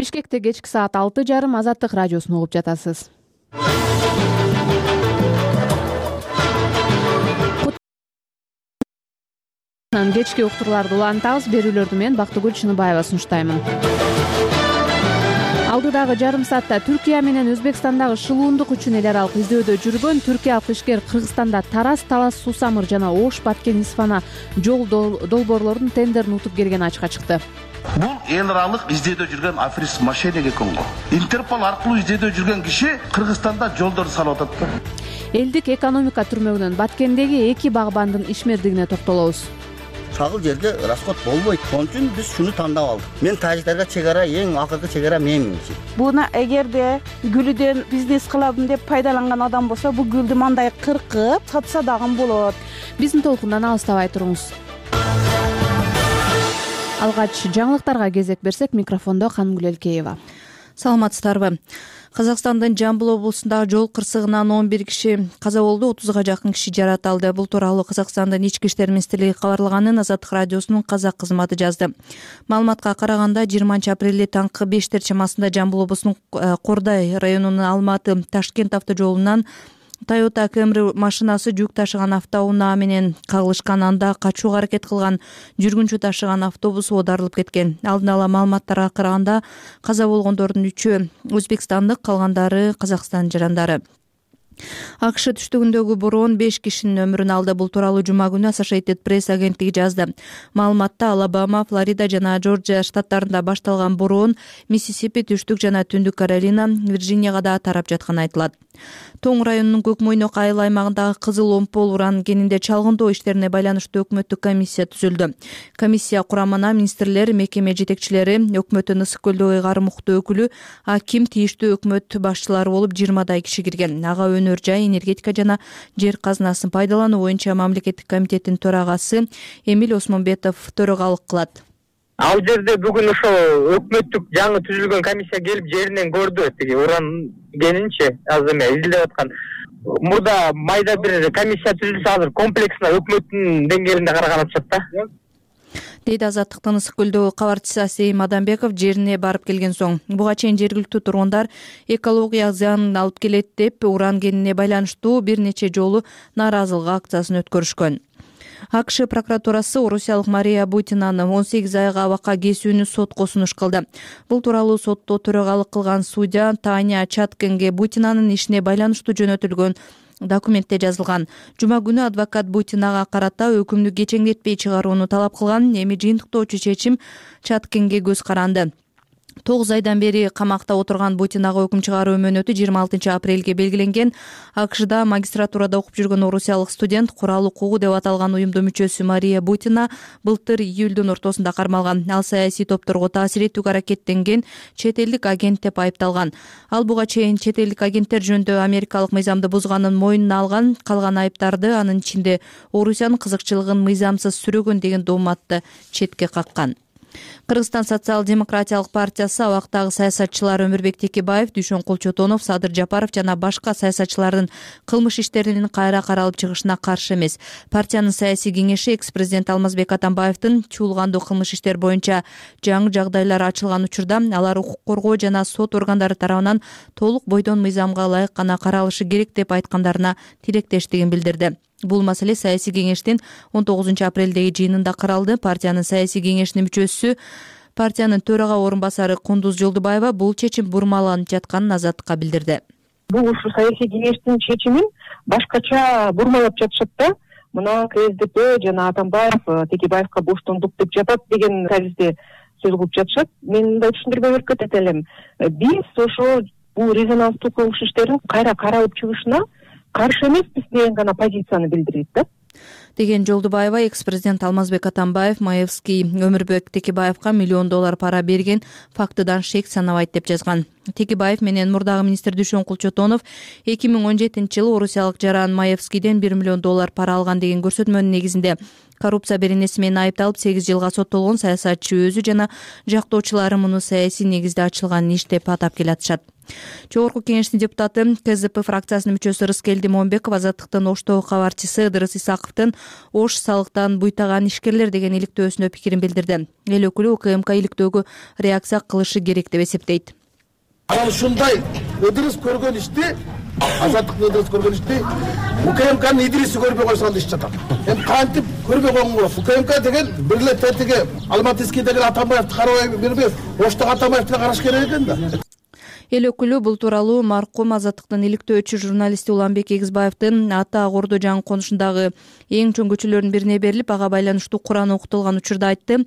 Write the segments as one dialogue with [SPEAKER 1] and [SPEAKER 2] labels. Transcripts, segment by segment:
[SPEAKER 1] Бишкекте кечки саат 6:30 Азаттык радиосун угуп жатасыз. Кечки уктурларды улантабыз. Берүүлөрдү мен Бактыгүл Чыныбаева сунуштаймын. Алдыдагы жарым саатта Түркия менен Өзбекстандагы шылуундук үчүн эл аралык издөөдө жүргөн түркиялык ишкер Кыргызстанда Тарас, Талас, Сусамыр жана Ош, Баткен, Исфана жол долбоорлордун тендерин утуп келгени ачыкка чыкты.
[SPEAKER 2] Бул эл аралык издөөдө жүргөн аферист мошенник экен го. Интерпол аркылуу издөөдө жүргөн киши Кыргызстанда жолдорду салып атат да.
[SPEAKER 1] Элдик экономика түрмөгүнөн Баткендеги 2 багбандын ишмердигине токтолобуз.
[SPEAKER 3] Чагыл жерге расход болбойт. Ошон үчүн биз шуну тандап алдык. Мен тажиктарга чегара эң акыркы чегара менмин.
[SPEAKER 4] Буна эгерде гүлүдөн бизнес кылабын деп пайдаланган адам болсо, бул гүлдү мындай кыркып сатса дагы болот.
[SPEAKER 1] Биздин толкундан алыстабай туруңуз. Алгач жаңылыктарга кезек берсек, микрофондо Канымгүл Элкеева.
[SPEAKER 5] Саламатсыздарбы? Казакстандын Жамбыл облусундагы жол кырсыгынан 11 киши каза болду, 30га жакын киши жараталды. Бул тууралуу Казакстандын ички иштер министрлиги кабарлаганын Азаттык радиосунун казак кызматы жазды. Маалыматка караганда 20-апрелде таңкы 5 чамасында Жамбыл облусунун Кордай районунун Алматы Ташкент автожолунан Toyota Camry машинасы жүк ташыган автоунаа менен кагылышкан. Анда качууга аракет кылган жүргүнчү ташыган автобус оодарылып кеткен. Алдын ала маалыматтарга караганда каза болгондордун 3-ü Өзбекстандык, калгандары Казакстан жарандары. АКШ түштүгүндөгү бороон 5 кишинин өмүрүн алды. Бул тууралуу жума күнү Associated Press агенттиги жазды. Маалыматта Алабама, Флорида жана Жоржия штаттарында башталган бороон Миссисипи, Түштүк жана Түндүк Каролина, Вирджинияга да тарап жатканы айтылат. Тоң районунун Көкмойнок айыл аймагындагы Кызыл Омпол уран кенинде чалгындоо иштерине байланыштуу өкмөттүк комиссия түзүлдү. Комиссия курамына министрлер, мекеме жетекчилери, өкмөттүн Ысык көлдөгү ыйгарым укуктуу өкүлү, аким, тийиштүү өкмөт башчылары болуп 20дай киши кирген. Ага өнөр жай, энергетика жана жер казынасын пайдалануу боюнча мамлекеттик комитеттин төрагасы Эмиль Осмонбетов төрагалык кылат.
[SPEAKER 6] Ал жерде бүгүн ошол өкмөттүк жаңы түзүлгөн комиссия келип жеринен көрдү. Тиги уран кенинчи азыр эме изилдеп аткан. Мурда майда бир комиссия түзүлсө азыр комплексно өкмөттүн деңгээлинде караган атышат да.
[SPEAKER 5] Дейди Азаттыктын Ысык көлдөгү кабарчысы Асейим Адамбеков жерине барып келген соң. Буга чейин жергиликтүү тургундар экология зыянын алып келет деп уран кенине байланыштуу бир нече жолу нааразылык акциясын өткөрүшкөн. АКШ прокуратурасы орусиялык Мария Бутинаны 18 айга абакка кесүүнү сотко сунуш кылды. Бул тууралуу сотто төрагалык кылган судья Таня Чаткенге Бутинанын ишине байланыштуу жөнөтүлгөн документте жазылган. Жума күнү адвокат Бутинага карата өкүмдү кечеңдетпей чыгарууну талап кылган. Эми жыйынтыктоочу чечим Чаткенге көз каранды. 9 айдан бери камакта отурган Бутинага өкүм чыгаруу мөөнөтү 26 апрелге белгиленген. АКШда магистратурада окуп жүргөн орусиялык студент, курал укугу деп аталган уюмдун мүчөсү Мария Бутина былтыр июлдун ортосунда кармалган. Ал саясий топторго таасир этүүгө аракеттенген чет элдик агент деп айыпталган. Ал буга чейин чет элдик агенттер жөнүндө америкалык мыйзамды бузганын мойнуна алган. Калган айыптарды, анын ичинде Орусиянын кызыкчылыгын мыйзамсыз сүрөгөн деген дооматты четке каккан. Кыргызстан социал-демократиялык партиясы абактагы саясатчылар Өмүрбек Текебаев, Дүйшөн Кулчотонов, Садыр Жапаров жана башка саясатчылардын кылмыш иштеринин кайра каралып чыгышына каршы эмес. Партиянын саясий кеңеши экс-президент Алмазбек Атамбаевдин чуулгандуу кылмыш иштер боюнча жаңы жагдайлар ачылган учурда алар укук коргоо жана сот органдары тарабынан толук бойдон мыйзамга ылайык гана каралышы керек деп айткандарына тилектештигин билдирди. Бул маселе саясий кеңештин 19 апрелдеги жыйынында каралды. Партиянын саясий кеңешинин мүчөсү, партиянын төрага орун басары Кундуз Жолдубаева бул чечим бурмаланып жатканын Азаттыкка билдирди.
[SPEAKER 7] Бул ушу саясий кеңештин чечимин башкача бурмалап жатышат да. Мына КСДП жана Атамбаев Текебаевка боштондук деп жатат деген таризде сөз кылып жатышат. Мен мындай түшүндүрмө берип кетет элем. Биз ошо бул резонанстуу кылмыш иштерин кайра каралып чыгышына каршы эмеспиз деген гана позицияны билдирет да.
[SPEAKER 5] Деген Жолдубаева экс-президент Алмазбек Атамбаев Маевский Өмүрбек Текебаевка $1 миллион пара берген фактыдан шек санабайт деп жазган. Текебаев менен мурдагы министр Дүйшөн Кулчотонов 2017-жылы орусиялык жаран Маевскийден $1 миллион пара алган деген көрсөтмөнүн негизинде коррупция беренеси менен айыпталып 8 жылга соттолгон саясатчы өзү жана жактоочулары муну саясий негизде ачылган иш деп атап келатышат. Жогорку кеңештин депутаты КЗП фракциясынын мүчөсү Рыскелди Момбеков Азаттыктын Оштогу кабарчысы Ыдырыс Исаковдун Ош салыктан буйтаган ишкерлер деген иликтөөсүнө пикирин билдирди. Эл өкүлү УКМК иликтөөгө реакция кылышы керек деп эсептейт.
[SPEAKER 2] Анан ушундай Ыдырыс көргөн ишти, Азаттыктын Ыдырыс көргөн ишти УКМКнын Идриси көрбөй койсо иш жатат. Эми кантип көрбөй койгон болот? УКМК деген бир эле тетиги Алматыский деген Атамбаевди карабай бербей, Оштогу Атамбаевди караш керек экен да.
[SPEAKER 5] Эл өкүлү бул тууралуу маркум Азаттыктын иликтөөчү журналисти Уланбек Эгизбаевдин Ата Кордо жаңы конушундагы эң чоң көчөлөрдүн бирине берилип, ага байланыштуу Куран окутулган учурда айтты.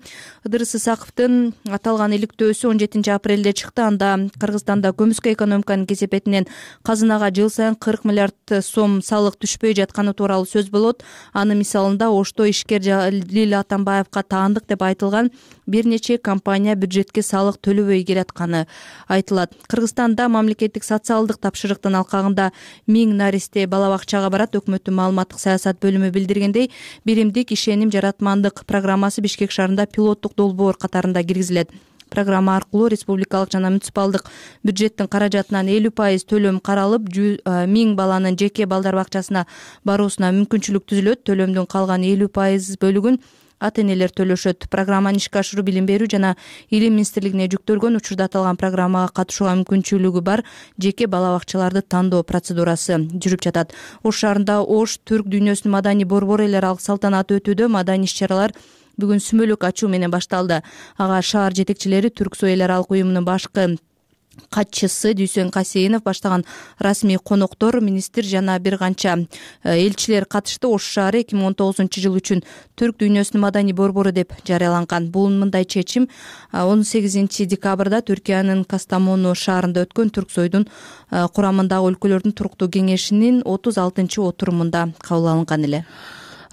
[SPEAKER 5] Ыдырыс Исаковдун аталган иликтөөсү 17 апрелде чыкты. Анда Кыргызстанда көмүскө экономиканын кесепетинен казынага жыл сайын 40 миллиард сом салык түшпөй жатканы тууралуу сөз болот. Анын мисалында Ошто ишкер Жалил Атамбаевга таандык деп айтылган бир нече компания бюджетке салык төлөбөй келатканы айтылат. Кыргызстанда мамлекеттик социалдык тапшырыктын алкагында 1000 наристе бала бакчага барат. Өкмөттүн маалыматтык саясат бөлүмү билдиргендей, биримдик ишеним жаратмандык программасы Бишкек шаарында пилоттук долбоор катарында киргизилет. Программа аркылуу республикалык жана муниципалдык бюджеттин каражатынан 50% төлөм каралып, 1000 баланын жеке балдар бакчасына баруусуна мүмкүнчүлүк түзүлөт. Төлөмдүн калган 50% бөлүгүн ата-энелер төлөшөт. Программаны ишке ашыруу Билим берүү жана Илим министрлигине жүктөлгөн. Учурда аталган программага катышууга мүмкүнчүлүгү бар жеке бала бакчаларды тандоо процедурасы жүрүп жатат. Ош шаарында Ош түрк дүйнөсүнүн маданий борбору эл аралык салтанаты өтүүдө. Маданий иш-чаралар бүгүн сүмөлүк ачуу менен башталды. Ага шаар жетекчилери, Түрксой эл аралык уюмунун башкы катчысы Дүйсен Касейинов баштаган расмий коноктор, министр жана бир канча элчилер катышты. Ош шаары 2019-жыл үчүн түрк дүйнөсүнүн маданий борбору деп жарыяланган. Бул мындай чечим 18 декабрда Түркиянын Кастамону шаарында өткөн Түрксойдун курамындагы өлкөлөрдүн туруктуу кеңешинин 36-отурумунда кабыл алынган эле.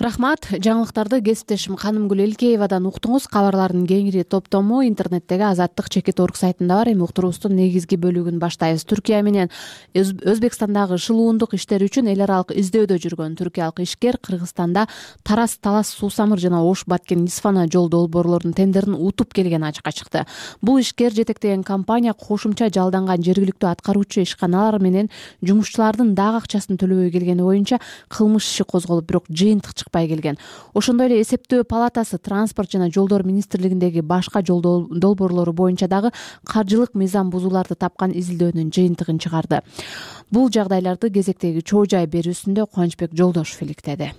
[SPEAKER 1] Рахмат. Жаңылыктарды кесиптешим Канымгүл Элкеевадан уктуңуз. Кабарлардын кеңири топтому интернеттеги azattik.org сайтында бар. Эми уктуруубуздун негизги бөлүгүн баштайбыз. Түркия менен Өзбекстандагы шылуундук иштер үчүн эл аралык издөөдө жүргөн түркиялык ишкер Кыргызстанда Тарас Талас Суусамыр жана Ош Баткен Исфана жол долбоорлорунун тендерин утуп келгени ачыкка чыкты. Бул ишкер жетектеген компания кошумча жалданган жергиликтүү аткаруучу ишканалар менен жумушчулардын дагы акчасын төлөбөй келгени боюнча кылмыш иши козголуп, бирок жыйынтык келген. Ошондой эле эсептөө палатасы транспорт жана жолдор министрлигиндеги башка жол долбоорлору боюнча дагы каржылык мыйзам бузууларды тапкан изилдөөнүн жыйынтыгын чыгарды. Бул жагдайларды кезектеги чоо жай берүүсүндө Кубанычбек Жолдошов иликтеди.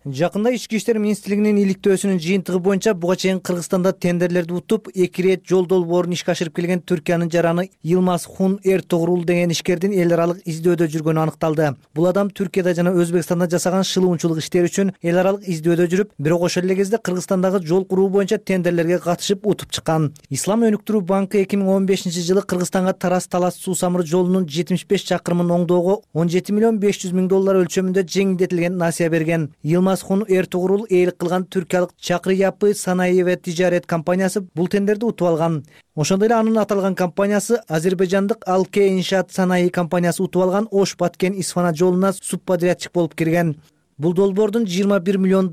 [SPEAKER 8] Жакында Ички иштер министрлигинин иликтөөсүнүн жыйынтыгы боюнча буга чейин Кыргызстанда тендерлерди утуп, 2 рет жол долбоорун ишке ашырып келген Түркиянын жараны Йылмаз Хун Эртугрул деген ишкердин эл аралык издөөдө жүргөнү аныкталды. Бул адам Түркияда жана Өзбекстанда жасаган шылуунчулук иштери үчүн эл аралык издөөдө жүрүп, бирок ошол эле кезде Кыргызстандагы жол куруу боюнча тендерлерге катышып утуп чыккан. Ислам өнүктүрүү банкы 2015-жылы Кыргызстанга Тарас Талас Суусамыр жолунун 75 чакырымын оңдоого $17,500,000 өлчөмүндө жеңилдетилген насыя берген. Хун Эртугрул ээлик кылган түркиялык Чакры Япы Санаеве тижарет компаниясы бул тендерди утуп алган. Ошондой эле анын аталган компаниясы азербайжандык Алке Иншаат Санаи компаниясы утуп алган Ош Баткен Исфана жолуна субподрядчик болуп кирген. Бул долбоордун $21 миллион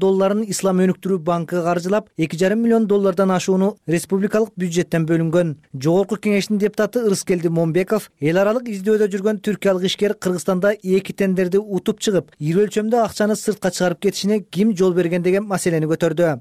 [SPEAKER 8] Ислам өнүктүрүү банкы каржылап, $2,5 миллион ашууну республикалык бюджеттен бөлүнгөн. Жогорку кеңештин депутаты Рыскелди Момбеков эл аралык издөөдө жүргөн түркиялык ишкер Кыргызстанда 2 тендерди утуп чыгып, ири өлчөмдө акчаны сыртка чыгарып кетишине ким жол берген деген маселени көтөрдү.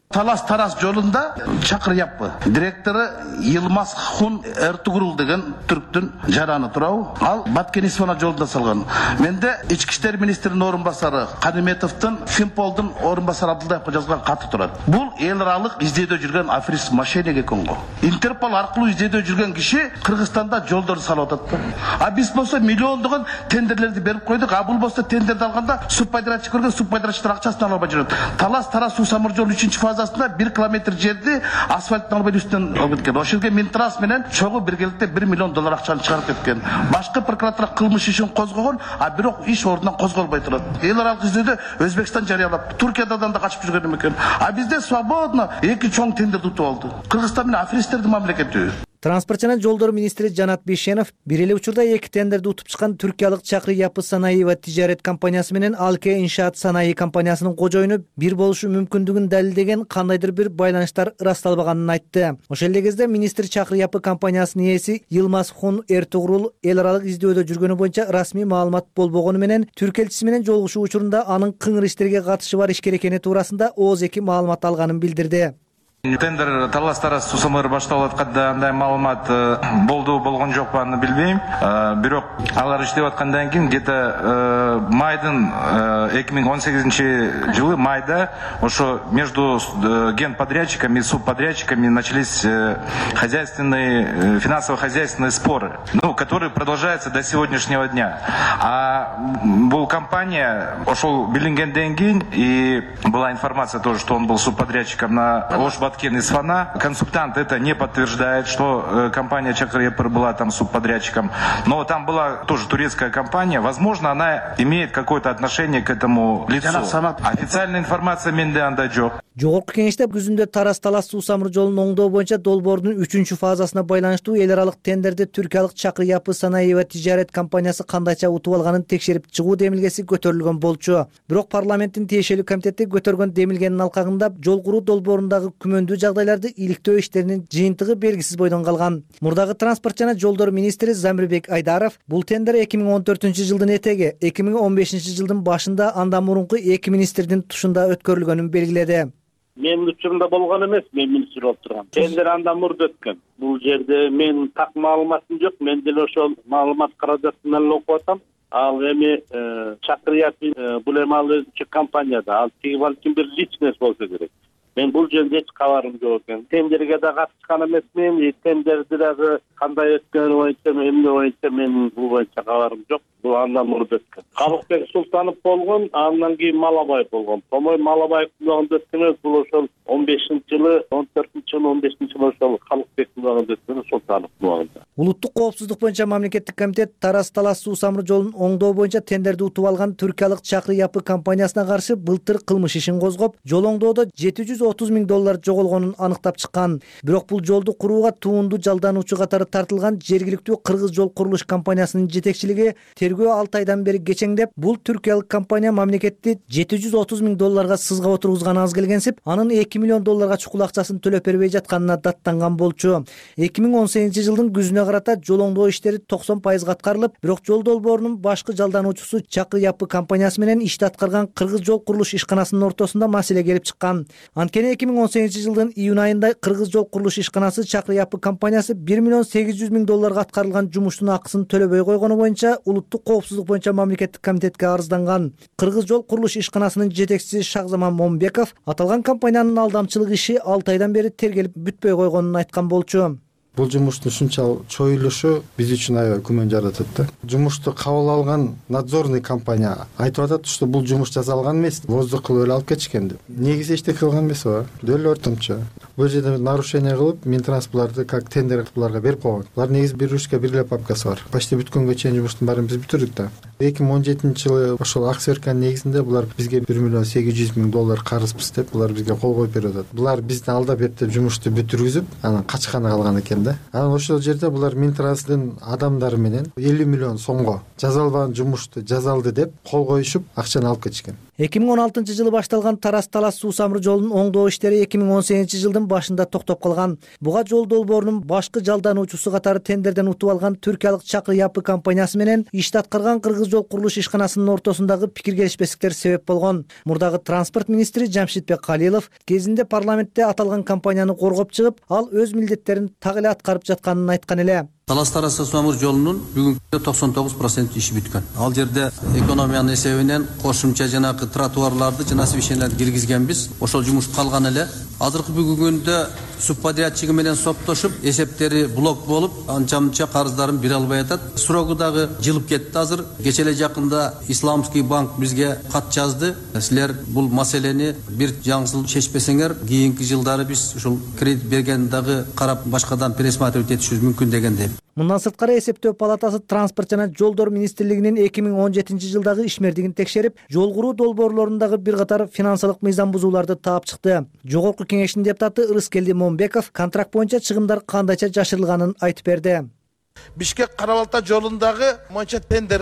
[SPEAKER 2] Тарас жолунда Чакыр Япы директору Йылмаз Хун Эртугрул деген түрктүн жараны турабы. Ал Баткен Исфана жолунда салган. Менде ички иштер министринин орун басары Кадиметовдун, Финполдун орун басары Абдулдаевге жазган каты турат. Бул эл аралык издөөдө жүргөн аферист мошенник экен го. Интерпол аркылуу издөөдө жүргөн киши Кыргызстанда жолдорду салып атат. А биз болсо миллиондогон тендерлерди берип койдук. А бул болсо тендерди алганда субподрядчик көргөн, субподрядчиктер акчасын ала албай жүрөт. Тарас Суусамыр жолу 3-чү фазасында 1 километр жерди асфальттын албай үстүнөн алып кеткен. Ошол жерге Минтрас менен чогуу биргеликте $1 миллион акчаны чыгарып кеткен. Башкы прокуратура кылмыш ишин козгогон, а бирок иш ордунан козголбой турат. Эл аралык издөөдө Өзбекстан жарыялап, Туркиядан да качып жүргөн экен. А бизде свободно 2 чоң тендерди утуп алды. Кыргызстан менен аферисттердин мамлекети.
[SPEAKER 8] Транспорт жана жолдор министри Жанат Бейшенов бир эле учурда 2 тендерди утуп чыккан түркиялык Чакры Yapı Sanayi va Ticaret компаниясы менен Alke Inşaat Sanayi компаниясынын кожоюну бир болушу мүмкүндүгүн далилдеген кандайдыр бир байланыштар ырасталбаганын айтты. Ошол эле кезде министр Чакры Yapı компаниясынын ээси Yılmaz Hun Ertuğrul эл аралык издөөдө жүргөнү боюнча расмий маалымат болбогону менен түрк элчиси менен жолугушуу учурунда анын кыңыр иштерге катышы бар ишкер экени туурасында ооз-эки маалымат алганын билдирди.
[SPEAKER 9] Тендер талаш-тараш сусамыр башталып атканда андай маалымат болгон жокпу аны билбейм. Бирок алар иштеп аткандан кийин где-то майдын 2018-жылы майда ошо между генподрядчиками и субподрядчиками начались финансово-хозяйственные споры, которые продолжаются до сегодняшнего дня. А бул компания ошол билингенден кийин и была информация тоже, что он был субподрядчиком на Баткен из Фана. Консультант это не подтверждает, что компания Чакры Yapı была там субподрядчиком. Но там была тоже турецкая компания. Возможно, она имеет какое-то отношение к этому лицу. Официальная информация менде андай жок.
[SPEAKER 8] Жогорку кеңеште күзүндө Тарас-Талас суу самыр жолун оңдоо боюнча долбоордун 3-фазасына байланыштуу эл аралык тендерди түркиялык Чакры Yapı Sanayi va Ticaret компаниясы кандайча утуп алганын текшерип чыгуу демилгеси көтөрүлгөн болчу. Бирок парламенттин тиешелүү комитети көтөргөн демилгенин алкагында жол куруу долбоорундагы күмөндүү жагдайларды иликтөө иштеринин жыйынтыгы белгисиз бойдон калган. Мурдагы транспорт жана жолдор министри Замирбек Айдаров бул тендер 2014-жылдын этеги, 2015-жылдын башында андан мурунку 2 министрдин тушунда өткөрүлгөнүн белгиледи.
[SPEAKER 10] Менин учурумда болгон эмес, мен министр болуп тургам. Тендер андан мурда өткөн. Бул жерде менин так маалыматым жок. Мен деле ошол маалымат каражатын эле окуп атам. Ал эми Чакры Yapı бул эми ал өзүнчө компанияда. Ал тиги балким бир личность болсо керек. Мен бул жерде эч кабарым жок экен. Тендерге да катышкан эмесмин. Тендерди дагы кандай өткөнү боюнча, эмне боюнча мен бул боюнча кабарым жок. Бул андан мурда өткөн. Калыкбек Султанов болгон, андан кийин Малабаев болгон. Томой Малабаевдин убагында өткөн бул ошол 15-жылы, 14-жылы, 15-жылы ошол Калыкбектин убагында өткөн Султановдун убагында.
[SPEAKER 8] Улуттук коопсуздук боюнча мамлекеттик комитет Тарас-Талас суу самыр жолун оңдоо боюнча тендерди утуп алган түркиялык Чакры Yapı компаниясына каршы былтыр кылмыш ишин козгоп, жол оңдоодо $730 миң жоголгонун аныктап чыккан. Бирок бул жолду курууга туунду жалдануучу катары тартылган жергиликтүү кыргыз жол курулуш компаниясынын жетекчилиги тергөө 6 айдан бери кечеңдеп, бул түркиялык компания мамлекетти $730 миң сызга отургузганы аз келгенсип, анын $2 миллион чукул акчасын төлөп бербей жатканына даттанган болчу. 2018-жылдын күзүнө карата жол оңдоо иштери 90% аткарылып, бирок жол долбоорунун башкы жалдануучусу Чакры Yapı компаниясы менен ишти аткарган кыргыз жол курулуш ишканасынын ортосунда маселе келип чыккан. Анткени 2018-жылдын июнь айында кыргыз жол курулуш ишканасы Чакры Yapı компаниясы $1 миллион 800 миң аткарылган жумуштун акысын төлөбөй койгону боюнча улуттук коопсуздук боюнча мамлекеттик комитетке арызданган. Кыргыз жол курулуш ишканасынын жетекчиси Шахзаман Момбеков аталган компаниянын алдамчылык иши 6 айдан бери тергелип бүтпөй койгонун айткан болчу.
[SPEAKER 11] Бул жумуштун ушунча чоюлушу биз үчүн аябай күмөн жаратат да. Жумушту кабыл алган надзорный компания айтып атат, что бул жумуш жасалган эмес, воздух кылып эле алып кетишкен деп. Негизи эчтеке кылган эмес о, деле ортомчо. Бул жерде нарушение кылып, Минтранс буларды как тендер кылып буларга берип койгон. Булар негизи бир ручка, бир папкасы бар. Почти бүткөнгө чейин жумуштун баарын биз бүтүрдүк да. 2017-жылы ошол аксиверканын негизинде булар бизге $1 миллион 800 миң карызбыз деп булар бизге кол коюп берип атат. Булар бизди алдап эптеп жумушту бүтүргүзүп, анан качканы калган экен да. Анан ошол жерде булар Минтранстын адамдары менен $50 миллион жазалбаган жумушту жазалды деп кол коюшуп, акчаны алып кетишкен.
[SPEAKER 8] 2016-жылы башталган Тарас-Талас суу самыр жолунун оңдоо иштери 2018-жылдын башында токтоп калган. Буга жол долбоорунун башкы жалдануучусу катары тендерден утуп алган түркиялык Чакры Yapı компаниясы менен ишти аткарган кыргыз жол курулуш ишканасынын ортосундагы пикир келишпестиктер себеп болгон. Мурдагы транспорт министри Жамшитбек Калилов кезинде парламентте аталган компанияны коргоп чыгып, ал өз милдеттерин так эле аткарып жатканын айткан эле.
[SPEAKER 12] Талас-Тарас суу самыр жолунун бүгүнкү 99% иши бүткөн. Ал жерде экономиянын эсебинен кошумча жанагы тротуарларды жана освещенияларды киргизгенбиз. Ошол жумуш калган эле. Азыркы бүгүнкү күндө субподрядчиги менен соптошуп, эсептери блок болуп, анча-мынча карыздарын бере албай атат. Срогу дагы жылып кетти азыр. Кече эле жакында Исламский банк бизге кат жазды. Силер бул маселени бир жаңсыл чечпесеңер, кийинки жылдары биз ушул кредит берген дагы карап башкадан пересматривать этишибиз мүмкүн деген деп.
[SPEAKER 8] Мындан сырткары эсептөө палатасы транспорт жана жолдор министрлигинин 2017-жылдагы ишмердигин текшерип, жол куруу долбоорлорундагы бир катар финансылык мыйзам бузууларды таап чыкты. Жогорку кеңештин депутаты Ырыскелди Момбеков контракт боюнча чыгымдар кандайча жашырылганын айтып берди.
[SPEAKER 2] Бишкек Кара Балта жолундагы моюнча тендер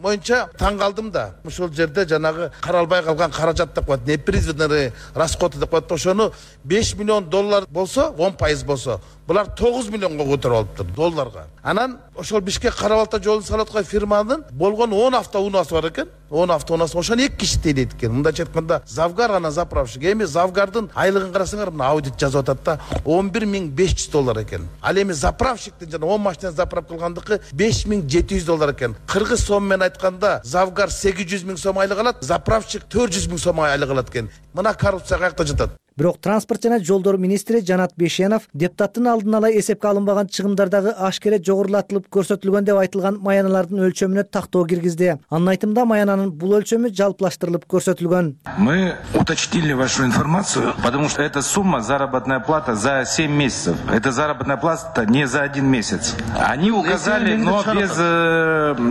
[SPEAKER 2] боюнча таң калдым да. Ошол жерде жанагы каралбай калган каражат деп коет, непризведенный расходы деп коет. Ошону $5 миллион болсо, 10% болсо, булар 9 миллионго көтөрүп алыптыр долларга. Анан ошол Бишкек Кара Балта жолун салып аткан фирманын болгон 10 автоунаасы бар экен. 10 автоунаасы ошону 2 киши тейлейт экен. Мындайча айтканда, Завгар анан заправщик. Эми Завгардын айлыгын карасаңар, мына аудит жазып атат да, $11,500 экен. Ал эми заправщиктин жана 10 машина заправ кылгандыкы $5,700 экен. Кыргыз сом менен айтканда, Завгар 800 миң сом айлык алат, заправщик 400 миң сом айлык алат экен. Мына коррупция каякта жатат?
[SPEAKER 8] Бирок транспорт жана жолдор министри Жанат Бешенов депутаттын алдын ала эсепке алынбаган чыгымдардагы ашкере жогорулатылып көрсөтүлгөн деп айтылган маяналардын өлчөмүнө тактоо киргизди. Анын айтымында маянанын бул өлчөмү жалпылаштырылып көрсөтүлгөн.
[SPEAKER 9] Мы уточнили вашу информацию, потому что эта сумма заработная плата за 7 месяцев. Это заработная плата не за 1 месяц. Они указали, но без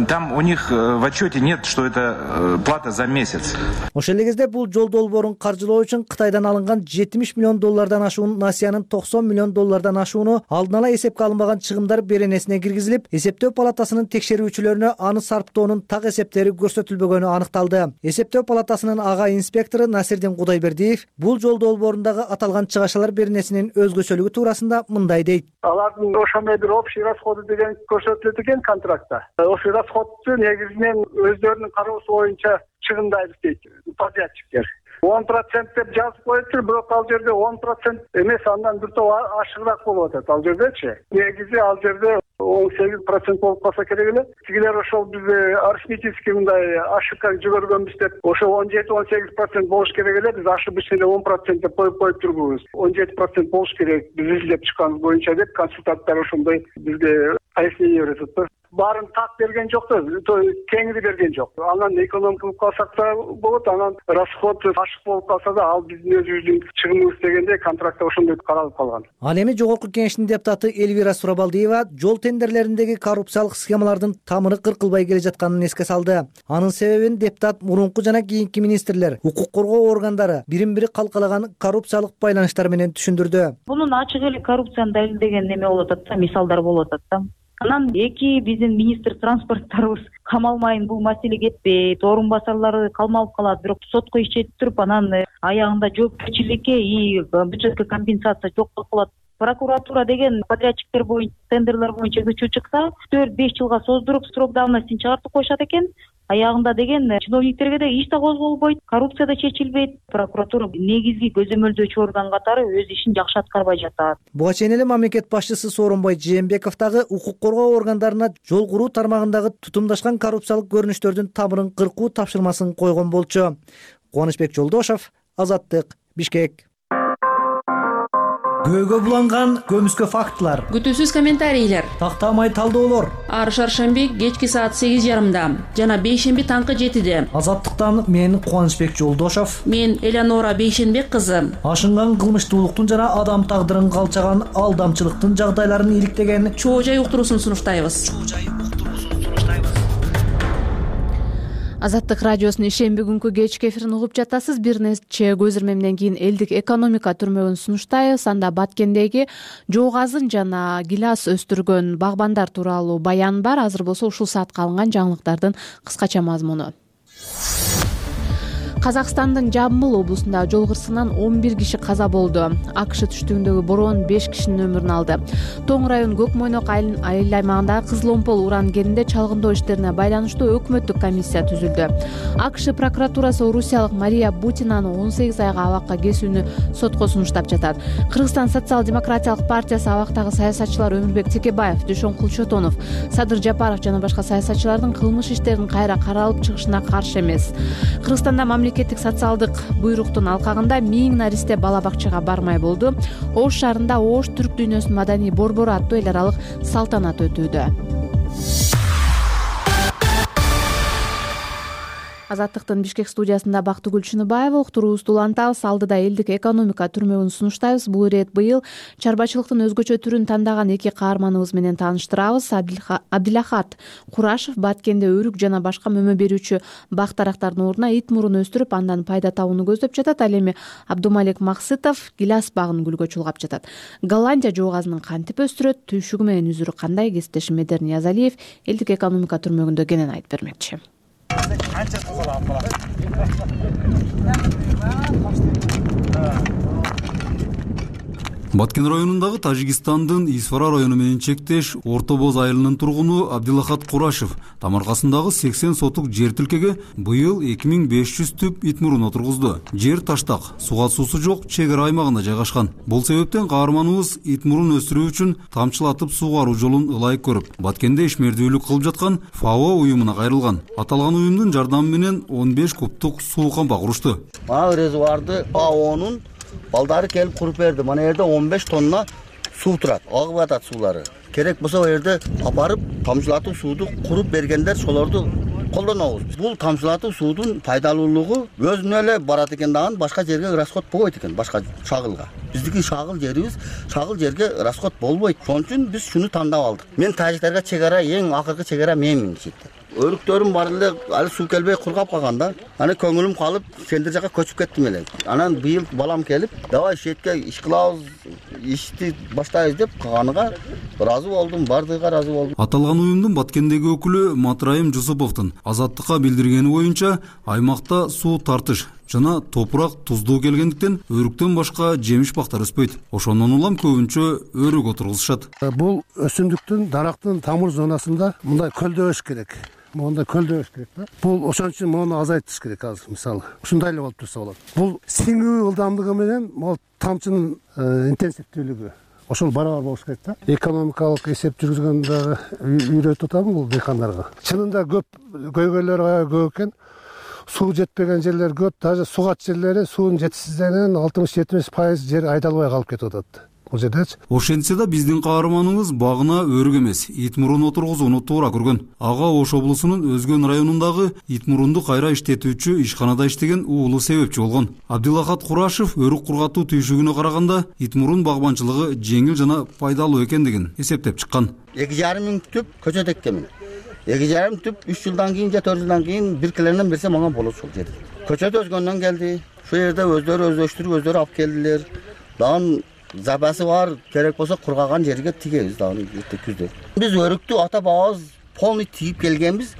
[SPEAKER 9] там у них в отчете нет, что это плата за месяц.
[SPEAKER 8] Ошол эле кезде бул жол долбоорун каржылоо үчүн Кытайдан алынган $70 миллион ашуун, Насиянын $90 миллион ашууну алдын ала эсепке алынбаган чыгымдар беренесине киргизилип, эсептөө палатасынын текшерүүчүлөрүнө аны сарптоонун так эсептери көрсөтүлбөгөнү аныкталды. Эсептөө палатасынын ага инспектору Насирдин Кудайбердиев бул жол долбоорундагы аталган чыгашалар беренесинин өзгөчөлүгү туурасында мындай дейт.
[SPEAKER 13] Алардын ошондой бир общий расходы деген көрсөтүлөт экен контрактта. Ошол расходду негизинен өздөрүнүн кароосу боюнча чыгымдайбыз дейт подрядчиктер. 10% деп жазып коюптур, бирок ал жерде 10% эмес, андан бир топ ашыгыраак болуп атат ал жердечи. Негизи ал жерде 18% болуп калса керек эле. Тигилер ошол бизде арифметический мындай ошибка жибергөнбүз деп, ошол 17-18% болуш керек эле. Биз ошибочно 10% деп коюп турбуз. 17% болуш керек биз изилдеп чыкканыбыз боюнча деп консультанттар ошондой бизге пояснение берет. Баарын так берген жок да, кеңири берген жок. Анан экономия кылып калсак да болот, анан расход ашык болуп калса да ал биздин өзүбүздүн чыгымыбыз дегенде контрактта ошондой каралып калган.
[SPEAKER 8] Ал эми жогорку кеңештин депутаты Элвира Сурабалдиева жол тендерлериндеги коррупциялык схемалардын тамыры кыркылбай келе жатканын эске салды. Анын себебин депутат мурунку жана кийинки министрлер, укук коргоо органдары бирин-бири калкалаган коррупциялык байланыштар менен түшүндүрдү.
[SPEAKER 14] Бунун ачык эле коррупцияны далилдеген неме болуп атат да, мисалдар болуп атат да. Анан эки биздин министр транспорттарыбыз камалмайын бул маселе кетпейт, орун басарлары калмалып калат, бирок сотко иш чечип туруп анан аягында жоопкерчиликке и бюджетке компенсация жок болуп калат. Прокуратура деген подрядчиктер боюнча тендерлер боюнча көчүп чыкса 4-5 жылга создуруп срок давностин чыгартып коюшат экен. Аягында деген чиновниктерге да иш да козголбойт, коррупция да чечилбейт. Прокуратура негизги көзөмөлдөөчү орган катары өз ишин жакшы аткарбай жатат.
[SPEAKER 8] Буга чейин эле мамлекет башчысы Сооронбай Жээнбеков дагы укук коргоо органдарына жол куруу тармагындагы тутумдашкан коррупциялык көрүнүштөрдүн тамырын кыркуу тапшырмасын койгон болчу. Кубанычбек Жолдошов, Азаттык, Бишкек. Көөгө буланган көмүскө фактылар,
[SPEAKER 15] күтүүсүз комментарийлер,
[SPEAKER 8] тактамай талдоолор.
[SPEAKER 15] Ар шаршемби кечки саат 8:30, жана бейшемби таңкы 7-де.
[SPEAKER 8] Азаттыктан мен Кубанычбек Жолдошов,
[SPEAKER 15] мен Элеонора Бейшенбек кызы.
[SPEAKER 8] Ашынган кылмыштуулуктун жана адам тагдырын калчаган алдамчылыктын жагдайларын иликтеген
[SPEAKER 15] чоо жай уктуруусун сунуштайбыз.
[SPEAKER 1] Азаттык радиосунун ишемби күнкү кечки эфирин угуп жатасыз. Бир нече көз ирмемден кийин элдик экономика түрмөгүн сунуштайбыз. Анда Баткендеги жоо газын жана гилас өстүргөн багбандар тууралуу баян бар. Азыр болсо ушул саатка алынган жаңылыктардын кыскача мазмуну. Казакстандын Жамбыл облусунда жол кырсыгынан 11 киши каза болду. АКШ түштүгүндөгү бороон 5 кишинин өмүрүн алды. Тоң район Көкмойнок айыл аймагындагы Кызыломпол уран кенинде чалгындоо иштерине байланыштуу өкмөттүк комиссия түзүлдү. АКШ прокуратурасы орусиялык Мария Бутинаны 18 айга абакка кесүүнү сотко сунуштап жатат. Кыргызстан социал-демократиялык партиясы абактагы саясатчылар Өмүрбек Текебаев, Дүйшөн Кулчотонов, Садыр Жапаров жана башка саясатчылардын кылмыш иштеринин кайра каралып чыгышына каршы эмес. Кыргызстанда мамлекеттик социалдык буйруктун алкагында 1000 наристе бала бакчага бармай болду. Ош шаарында Ош түрк дүйнөсүнүн маданий борбору аттуу эл аралык салтанат өтүүдө. Азаттыктын Бишкек студиясында Бактыгүл Чыныбаева, уктуруубузду улантабыз. Алдыда элдик экономика түрмөгүн сунуштайбыз. Бул ирет быйыл чарбачылыктын өзгөчө түрүн тандаган эки каарманыбыз менен тааныштырабыз. Абдилахат Курашев Баткенде өрүк жана башка мөмө берүүчү бак дарактардын ордуна ит мурун өстүрүп, андан пайда табууну көздөп жатат. Ал эми Абдумалик Максытов гилас багын гүлгө чулгап жатат. Голландия жоогазынын кантип өстүрөт, түйшүгү менен үзүрү кандай? Кесиптешим Медер Ниязалиев элдик экономика түрмөгүндө кенен айтып бермекчи.
[SPEAKER 16] Баткен районундагы Тажикстандын Исфара району менен чектеш Орто Боз айылынын тургуну Абдилахат Курашев Тамаркасындагы 80 сотук жер тилкеге быйыл 2500 түп ит мурун отургузду. Жер таштак, суга суусу жок чек ара аймагында жайгашкан. Бул себептен каарманыбыз ит мурун өстүрүү үчүн тамчылатып сугаруу жолун ылайык көрүп, Баткенде ишмердүүлүк кылып жаткан ФАО уюмуна кайрылган. Аталган уюмдун жардамы менен 15 кубтук суу камба курушту.
[SPEAKER 3] Резервуарды ФАОнун балдары келип куруп берди. Мына жерде 15 тонна суу турат. Агып атат суулары. Керек болсо бу жерде апарып тамчылатып сууду куруп бергендер шолорду колдонобуз. Бул тамчылатып суудун пайдалуулугу өзүнө эле барат экен дагы, башка жерге расход болбойт экен, башка шагылга. Биздики шагыл жерибиз, шагыл жерге расход болбойт. Ошон үчүн биз шуну тандап алдык. Мен тажиктерге чек ара, эң акыркы чек ара менмин дешет. Өрүктөрүм бар эле, али суу келбей кургап калган да. Аны көңүлүм калып, сендер жака көчүп кеттим эле. Анан быйыл балам келип, давай шетке иш кылабыз, ишти баштайбыз деп кылганыга ыраазы болдум, бардыгыга ыраазы болдум.
[SPEAKER 16] Аталган уюмдун Баткендеги өкүлү Матраим Жусуповдун Азаттыкка билдиргени боюнча, аймакта суу тартыш жана топурак туздуу келгендиктен өрүктөн башка жемиш бактар өспөйт. Ошондон улам көбүнчө өрүк отургузушат.
[SPEAKER 17] Бул өсүмдүктүн, дарактын тамыр зонасында мындай көлдө өсүш керек. Монда көлдө өсүш керек да. Бул ошон үчүн мону азайтыш керек азыр мисалы. Ушундай эле болуп турса болот. Бул сиңүү ылдамдыгы менен могу тамчынын интенсивдүүлүгү ошол барабар болуш керек да. Экономикалык эсеп жүргүзгөндө үйрөтүп атам бул дыйкандарга. Чынында көп көйгөйлөр аябай көп экен. Суу жетпеген жерлер көп, даже сугат жерлери суунун жетишсиздигинен 60-70% жер айдалбай калып кетип атат. Бул жердечи.
[SPEAKER 16] Ошентсе да биздин каарманыбыз багына өрүк эмес, ит мурун отургузууну туура көргөн. Ага Ош облусунун Өзгөн районундагы ит мурунду кайра иштетүүчү ишканада иштеген уулу себепчи болгон. Абдилахат Курашев өрүк кургатуу түйшүгүнө караганда ит мурун багбанчылыгы жеңил жана пайдалуу экендигин эсептеп чыккан.
[SPEAKER 3] 2,5 миң түп көчөт эккенмин. 2,5 түп 3 жылдан кийин же 4 жылдан кийин бир килерден берсе мага болот ушул жерде. Көчөт Өзгөндөн келди. Ушул жерде өздөрү өздөштүрүп, өздөрү алып келдилер. Дагы запасы бар, керек болсо кургаган жерге тигебиз дагы күздө. Биз өрүктү ата бабабыз полный тигип келгенбиз.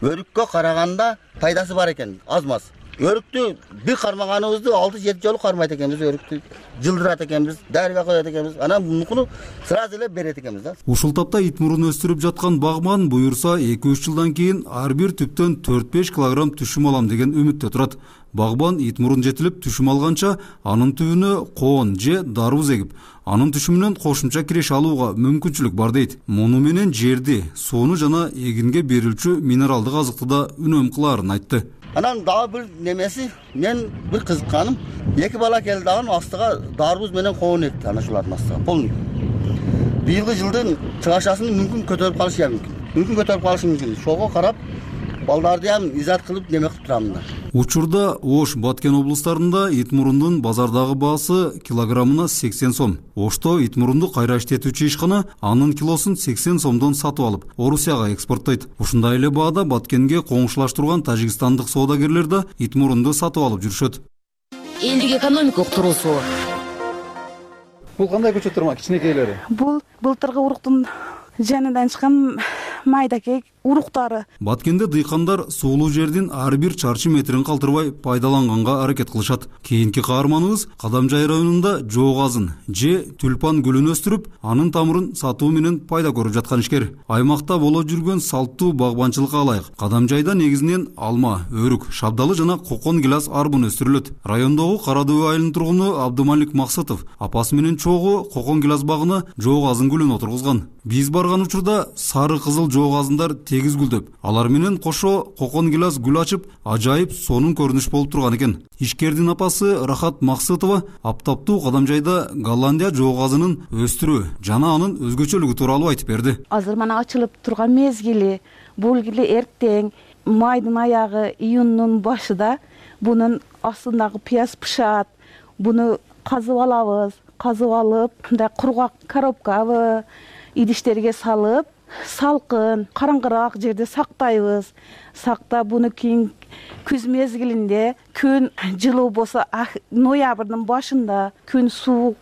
[SPEAKER 3] Өрүккө караганда пайдасы бар экен, аз-маз. Өрүктү бир кармаганыбызды 6-7 жолу кармайт экенбиз, өрүктү жылдырат экенбиз, дарыга коет экенбиз. Анан мунукуну сразу эле берет экенбиз да.
[SPEAKER 16] Ушул тапта ит мурун өстүрүп жаткан багман буюрса 2-3 жылдан кийин ар бир түптөн 4-5 килограмм түшүм алам деген үмүттө турат. Багбан ит мурун жетилип түшүм алганча анын түбүнө коон же дарбыз эгип, анын түшүмүнөн кошумча киреш алууга мүмкүнчүлүк бар дейт. Муну менен жерди, сууну жана эгинге берилчү минералдык азыкты да үнөм кылаарын айтты.
[SPEAKER 3] Анан дагы бир немеси, мен бир кызыкканым, 2 бала келди дагы астыга дарбыз менен коон экти, ana шулардын астыга полный. Быйылгы жылдын чыгашасын мүмкүн көтөрүп калышы мүмкүн. Мүмкүн көтөрүп калышы мүмкүн. Шого карап балдарды ham изат кылып неме кылып турам да.
[SPEAKER 16] Учурда Ош, Баткен облустарында ит мурундун базардагы баасы килограммына 80 сом. Ошто ит мурунду кайра иштетүүчү ишкана анын килосун 80 сомдон сатып алып, Орусияга экспорттойт. Ушундай эле баада Баткенге коңшулаш турган тажикстандык соодагерлер да ит мурунду сатып алып жүрүшөт.
[SPEAKER 18] Элдик экономика уктуруусу.
[SPEAKER 19] Бул кандай көчөттөр, кичинекейлери?
[SPEAKER 4] Бул былтыркы уруктун жанынан чыккан майдакей уруктары.
[SPEAKER 16] Баткенде дыйкандар суулуу жердин ар бир чарчы метрин калтырбай пайдаланганга аракет кылышат. Кийинки каарманыбыз Кадамжай районунда жоогазын же тюльпан гүлүн өстүрүп, анын тамырын сатуу менен пайда көрүп жаткан ишкер. Аймакта боло жүргөн салттуу багбанчылыкка ылайык Кадамжайда негизинен алма, өрүк, шабдалы жана кокон гилас арбын өстүрүлөт. Райондогу Кара Дөбө айылынын тургуну Абдумалик Максытов апасы менен чогуу кокон гилас багына жоогазын гүлүн отургузган. Биз барган учурда сары кызыл бул жоо газындар тегиз гүлдөп, алар менен кошо кокон гилас гүл ачып, ажайып сонун көрүнүш болуп турган экен. Ишкердин апасы Рахат Максытова аптаптуу Кадамжайда Голландия жоо газынын өстүрүү жана анын өзгөчөлүгү тууралуу айтып берди.
[SPEAKER 4] Азыр мана ачылып турган мезгили, бул эле эртең майдын аягы, июндун башыда бунун астындагы пияз пышат. Буну казып алабыз. Казып алып, мындай кургак коробкабы, идиштерге салып, салкын, караңгыраак жерде сактайбыз. Сактап буну кийин күз мезгилинде күн жылуу болсо, ноябрдын башында күн суук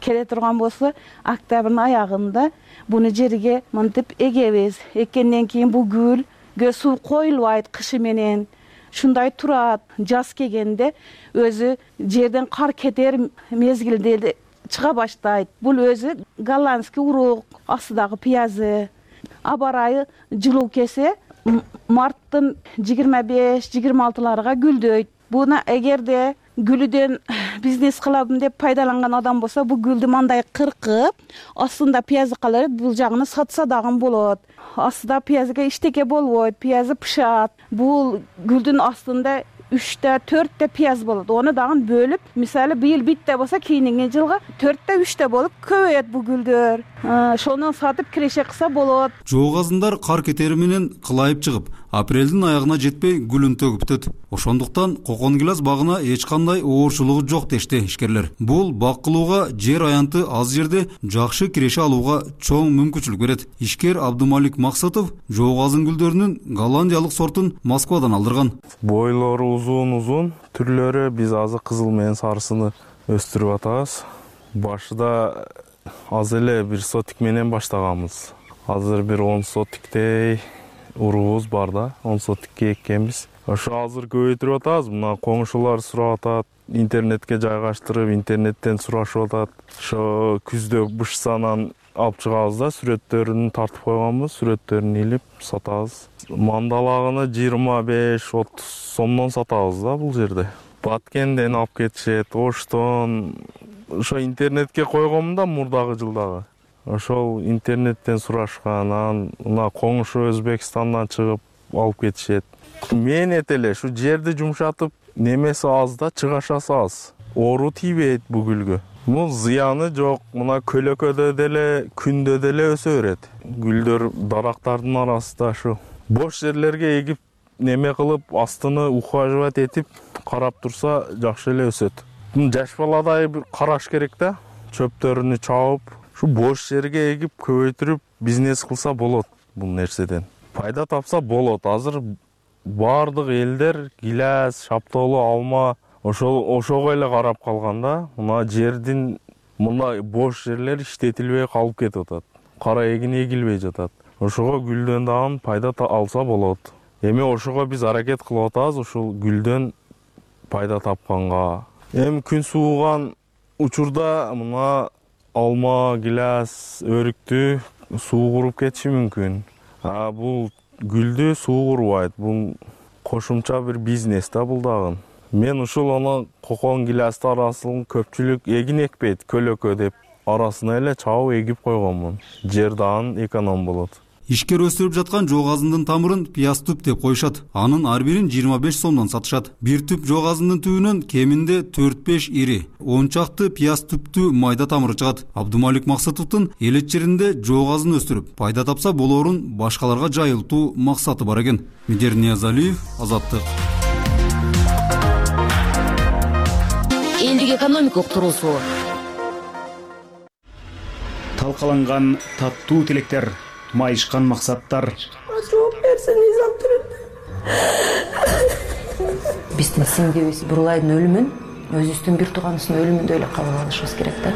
[SPEAKER 4] келе турган болсо, октябрдын аягында буну жерге мынтип эгебиз. Эккенден кийин бул гүлгө суу коюлбайт кышы менен. Шундай турат. Жаз келгенде өзү жерден кар кетер мезгилде чыга баштайт. Бул өзү голландский урук, астыдагы пиязы. Аба ырайы жылуу келсе, марттын 25-26-ларга гүлдөйт. Буна эгерде гүлүдөн бизнес кылабын деп пайдаланган адам болсо, бул гүлдү мындай кыркып, астында пиязы калат, бул жагын сатса дагы болот. Астыда пиязга иштеке болбойт, пиязы пышат. Бул гүлдүн астында 3-4 пияз болот. Оны дагы бөлүп, мисалы быйыл битте болсо, кийинки жылга 4-3 болуп көбөйөт бул гүлдөр. Шону сатып киреше кылса болот.
[SPEAKER 16] Жоо газындар кар кетери менен кылайып чыгып, апрелдин аягына жетпей гүлүн төгүп бүтөт. Ошондуктан кокон гилас багына эч кандай оорчулугу жок дешти ишкерлер. Бул бак кылууга жер аянты аз жерде жакшы киреше алууга чоң мүмкүнчүлүк берет. Ишкер Абдумалик Максытов жоо газын гүлдөрүнүн голландиялык сортун Москвадан алдырган.
[SPEAKER 20] Бойлору узун түрлөрү, биз азыр кызыл менен сарысыны өстүрүп атабыз. Башында аз эле бир сотик менен баштаганбыз. Азыр бир 10 сотиктей уруубуз бар да, 10 сотикке эккенбиз. Ошо азыр көбөйтүрүп атабыз. Мына коңшулар сурап атат, интернетке жайгаштырып, интернеттен сурашып атат. Ошо күздө бышсанан алып чыгабыз да, сүрөттөрүн тартып койгонбуз, сүрөттөрүн илип сатабыз. Мандалагыны 25-30 сомдон сатабыз да бул жерде. Баткенден алып кетишет, Оштон. Ошо интернетке койгонмун да мурдагы жылдагы. Ошол интернеттен сурашкан, мына коңшу Өзбекстандан чыгып алып кетишет. Мээнет эле ушу жерди жумшатып, немеси аз да, чыгашасы аз. Оору тийбейт бул гүлгө. Бул зыяны жок. Мына көлөкөдө деле, күндө деле өсө берет. Гүлдөр дарактардын арасында ушу бош жерлерге эгип, неме кылып, астыны ухаживать этип, карап турса жакшы эле өсөт. Жаш баладай бир караш керек да, чөптөрүнү чабып, ушу бош жерге эгип, көбөйтүрүп бизнес кылса болот бул нерседен. Пайда тапса болот. Азыр бардык элдер гилас, шаптоолу, алма ошого эле карап калган да. Мына жердин мындай бош жерлер иштетилбей калып кетип атат. Кара эгин эгилбей жатат. Ошого гүлдөн дагы пайда алса болот. Эми ошого биз аракет кылып атабыз, ушул гүлдөн пайда тапканга. Эми күн сууган учурда мына алма, гилас, өрүктү суу куруп кетиши мүмкүн. Бул гүлдү суу курбайт. Бул кошумча бир бизнес да бул дагы. Мен ушул аны кокон гиласты арасын көпчүлүк эгин экпейт, көлөкө деп арасына эле чабып эгип койгонмун. Жер дагы эконом болот.
[SPEAKER 16] Ишкер өстүрүп жаткан жоо газынын тамырын пияз түп деп коюшат. Анын ар бирин 25 сомдон сатышат. Бир түп жоо газынын түбүнөн кеминде 4-5 ири, 10 чакты пияз түптүү майда тамыры чыгат. Абдумалик Максытовдун элет жеринде жоо газын өстүрүп, пайда тапса болоорун башкаларга жайылтуу максаты бар экен. Медер Ниязалиев, Азаттык.
[SPEAKER 18] Элдик экономика уктуруусу.
[SPEAKER 21] Талкаланган таттуу тилектер, майышкан максаттар.
[SPEAKER 22] Жооп берсин,
[SPEAKER 18] Биздин сиңдибиз Бурлайдын өлүмүн өзүбүздүн бир тууганыбыздын өлүмүндөй эле кабыл алышыбыз керек да.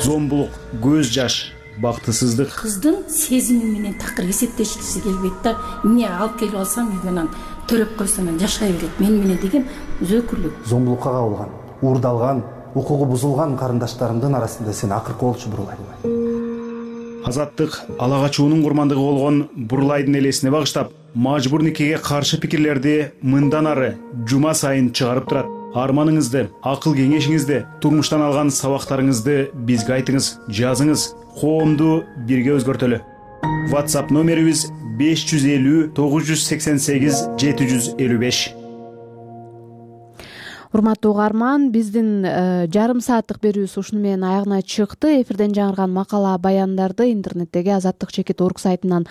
[SPEAKER 21] Зомбулук, көз жаш, бактысыздык.
[SPEAKER 22] Кыздын сезими менен такыр эсептешкиси келбейт да. Эмне алып келип алсам, менен төрөп койсом жашай берет мен менен деген зөөкүрлүк.
[SPEAKER 23] Зомбулукка кабылган, уурдалган, укугу бузулган карындаштарымдын арасында сен акыркы болчу Бурлайдын.
[SPEAKER 21] Азаттык ала качуунун курмандыгы болгон Бурлайдын элесине багыштап, мажбур никеге каршы пикирлерди мындан ары жума сайын чыгарып турат. Арманыңызды, акыл кеңешиңизди, турмуштан алган сабактарыңызды бизге айтыңыз, жазыңыз, коомду бирге өзгөртөлү. WhatsApp номерибиз 550 988 755.
[SPEAKER 1] Урматтуу угарман, биздин жарым сааттык берүүбүз ушуну менен аягына чыкты. Эфирден жаңырган макала баяндарды интернеттеги azattik.org сайтынан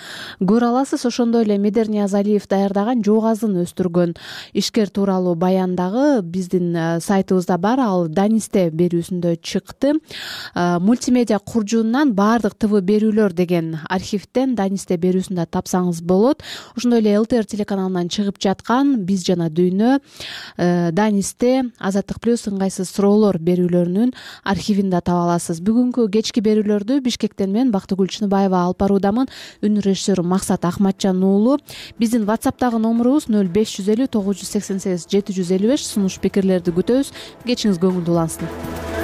[SPEAKER 1] көрө аласыз. Ошондой эле Медер Ниязалиев даярдаган Жок азын өстүргөн ишкер тууралуу баян дагы биздин сайтыбызда бар. Ал Данисте берүүсүндө чыкты. Мультимедиа куржунунан баардык ТВ берүүлөр деген архивден Данисте берүүсүндө тапсаңыз болот. Ошондой эле ЛТР телеканалынан чыгып жаткан Биз жана дүйнө Данисте Азаттык плюс ыңгайсыз суроолор берүүлөрүнүн архивинде таба аласыз. Бүгүнкү кечки берүүлөрдү Бишкектен мен Бактыгүл Чыныбаева алып баруудамын. Үн режиссеру Максат Ахматжан уулу. Биздин WhatsApp'тагы номурубуз 0550 988 755. Сунуш пикирлерди күтөбүз. Кечиңиз көңүлдүү улансын.